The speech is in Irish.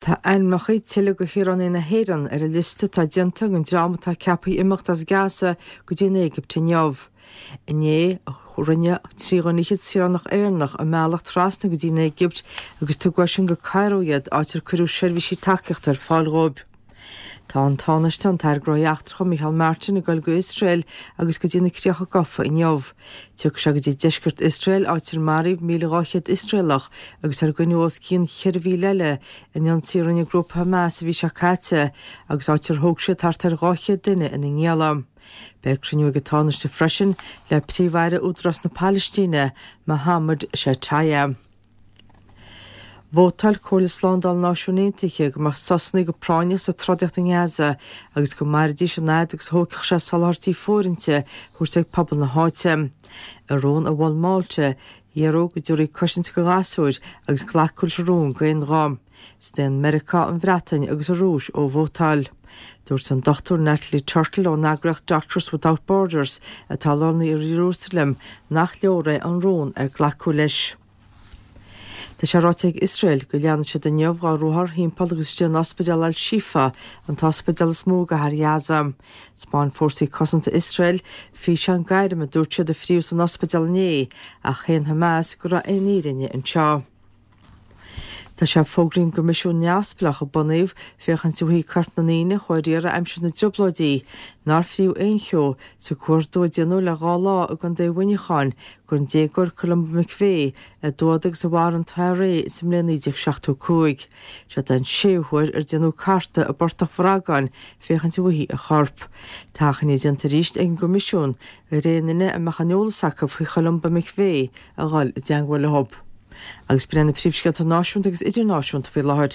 Tá ainmneacha tuilleadh de shaoránaigh na hÉireann ar an liosta atá déanta ag an dream atá ceaptha imeacht as Gaza go dtí an Éigipt inniu. Inné, rinne 23 dhuine saoránach Éireannach a mbealach trasna go dtí an Éigipt agus tugadh as sin go Cairo iad, áit ar cuireadh seirbhísí tacaíochta ar fáil dhóibh. Tá an Tánaiste, an tAire Gnóthaí Eachtracha, Micheál Martin, ag dul go Iosrael agus go dtí na Críocha Gafa inniu. Tiocfaidh sé go dtí deisceart Iosrael, áit ar maraíodh 1,200 Iosraelach agus ar goineadh os cionn 4,000 eile in ionsaí a rinne grúpa Hamas an mhí seo caite agus áit ar thóg siad thart ar 200 duine ina ngialla. Beidh cruinniú ag an Tánaiste freisin le Príomh-Aire Údarás na Palaistíne, Mohammed Shtayyeh. Vótáil Comhairle Slándála na Náisiún Aontaithe go mbeadh sosanna go práinneach sa trodaíocht i nGaza agus go mairfidís an fhad agus a thógfadh sé soláthairtí fóirithinte a thabhairt ag pobal na háite. I rún a mhol Málta, iarradh go dtabharfaí cosaint do ghasúir agus glacadh leis an rún d'aon ghuth. Staon Meiriceá, an Bhreatain agus an Rúis ó vótáil. Dúirt an Dr Natalie Turtle ón eagraíocht Doctors Without Borders, atá lonnaithe i Iarúsailéim, nach leor é an rún ar glacadh leis. Tá sé ráite ag Iosrael go leanfaidh siad inniu dá ruathar thimpeall agus istigh in ospidéal Al Shifa, an t-ospidéal is mó i gcathair Ghaza. 'Spáin fórsaí cosanta Iosrael físeán gairme a dúirt siad a fríodh san ospidéal inné, ach shéan Hamas go raibh aon fhírinne anseo. Tá sé fógraithe ag an gcoimisiún neamhspleách a bunaíodh féachaint uaidh coirp na ndaoine a chuaigh ar iarraidh aimsir na dTrioblóidí nár fríodh aon cheo sa gcuardú a déanadh le dhá lá i gContae Mhuineacháin don déagóir Columba McVeigh a d'fhuadaigh agus a mharaigh an IRA sa mbliain 1975. Seo an séú huair ar déanadh cartadh i bPortach Bhragáin féachaint uaithi a chorp. Tá achainí déanta arís ag an gCoimisiún ar aon duine a mbeadh aon eolas acu faoi Cholumba McVeigh a dhul i dteangmháil leo. Agus b'in iad na príomhscéalta náisiúnta agus idirnáisiúnta faoi láthair.